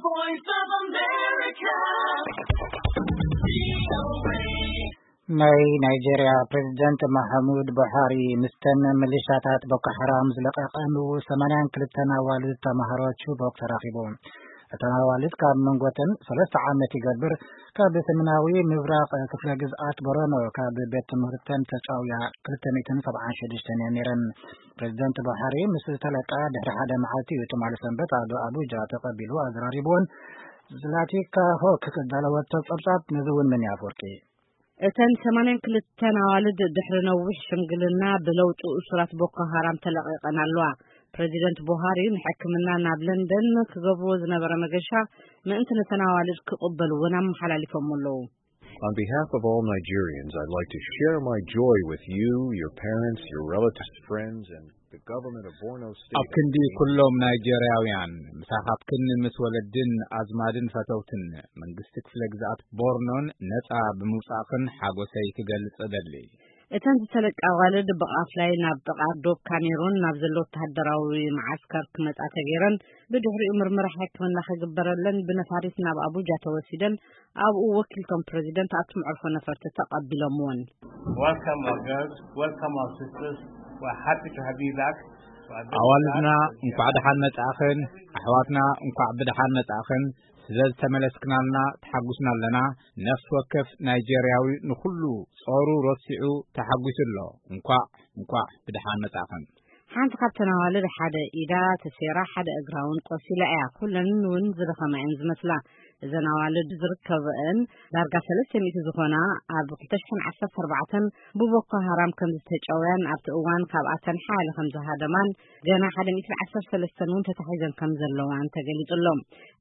Voice of America. ናይ ናይጄርያ ፕሬዚደንት መሐሙድ ቡሃሪ ምስተን ሚሊሻታት ቦኮ ሓራም ዝለቀቐን ሰማንያን ክልተን ኣዋልድ ተማሃሮ ቹቦክ ተራኺቡ። እተን ኣዋልድ ካብ መንጎተን ሰለስተ ዓመት ይገብር ካብ ሰሜናዊ ምብራቕ ክፍለ ግዝኣት ቦረኖ ካብ ቤት ትምህርተን ተጫውያ ክልተ ሚእትን ሰብዓን ሽዱሽተን እየን ነይረን። ፕሬዚደንት ቡሃሪ ምስ ዝተለቃ ድሕሪ ሓደ መዓልቲ እዩ ትማሊ ሰንበት ኣብ ኣቡጃ ተቐቢሉ ኣዘራሪብዎን። ዝላቲካ ሆክ ዘዳለወቶ ጸብጻብ ነዚ እውን ምን ኣፈወርቂ። እተን ሰማንያን ክልተን ኣዋልድ ድሕሪ ነዊሕ ሽምግልና ብለውጢ እሱራት ቦኮ ሃራም ተለቒቐን ኣለዋ። ፕሬዚደንት ቡሃሪ ንሕክምና ናብ ለንደን ክገብርዎ ዝነበረ መገሻ ምእንቲ ነተን ኣዋልድ ክቕበልዎን ኣመሓላሊፎም ኣለዉ። On behalf of all Nigerians, I'd like to share my joy with you, your parents, your relatives, friends, and the government of Borno State. ኣብ ክንዲ ኩሎም ናይጄርያውያን ምሳኻትክን ምስ ወለድን ኣዝማድን ፈተውትን መንግስቲ ክፍለ ግዝኣት ቦርኖን ነጻ ብምውጻእኽን ሓጎሰይ ክገልጽ እደሊ። እተን ዝተለቃ ኣዋልድ ብቓፍላይ ናብ ጥቓ ዶብ ካሜሩን ናብ ዘሎ ወተሃደራዊ መዓስከር ክመጻ ተገይረን፣ ብድሕሪኡ ምርመራ ሕክምና ክግበረለን ብነፋሪት ናብ ኣቡጃ ተወሲደን፣ ኣብኡ ወኪልቶም ፕረዚደንት ኣብቲ መዕርፎ ነፈርቲ ተቐቢሎምወን። Welcome our girls, welcome our sisters. We're happy to have you back. ኣዋልድና እንኳዕ ደሓን መጻእኽን፣ ኣሕዋትና እንኳዕ ብደሓን መጻእኽን። ስለ ዝተመለስክናልና ተሓጉስና ኣለና። ነፍሲ ወከፍ ናይጄርያዊ ንኹሉ ጾሩ ረሲዑ ተሓጒሱ ኣሎ። እንኳዕ እንኳዕ ብደሓን መጻእኽን። ሓንቲ ካብተን ኣዋልድ ሓደ ኢዳ ተሰይራ፣ ሓደ እግራ እውን ቆሲላ እያ። ኩለን እውን ዝደኸማ እየን ዝመስላ። እዘን ኣዋልድ ዝርከበአን ዳርጋ ሰለስተ ሚእቲ ዝኾና ኣብ ክልተ ሽሕን ዓሰርተ ኣርባዕተን ብቦኮ ሃራም ከም ዝተጨውያን ኣብቲ እዋን ካብኣተን ሓያለ ከም ዝሃደማን ገና ሓደ ሚእትን ዓሰርተ ሰለስተን እውን ተታሒዘን ከም ዘለዋን ተገሊጹ ኣሎ።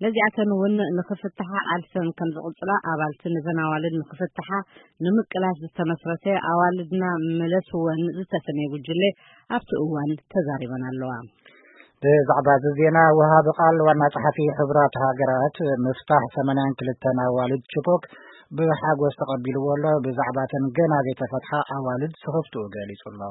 ነዚኣተን እውን ንኽፍትሓ ቃልሰን ከም ዝቕጽላ ኣባልቲ ነዘን ኣዋልድ ንኽፍትሓ ንምቅላስ ዝተመስረተ ኣዋልድና ምለስወን ዝተሰመየ ጉጅለ ኣብቲ እዋን ተዛሪበን ኣለዋ። ብዛዕባ እዚ ዜና ወሃቢ ቃል ዋና ጸሓፊ ሕቡራት ሃገራት ምፍታሕ ሰማንያን ክልተን ኣዋልድ ቺቦክ ብሓጎስ ተቐቢልዎ ኣሎ። ብዛዕባተን ገና ዘይተፈትሓ ኣዋልድ ስኽፍትኡ ገሊጹ ኣሎ።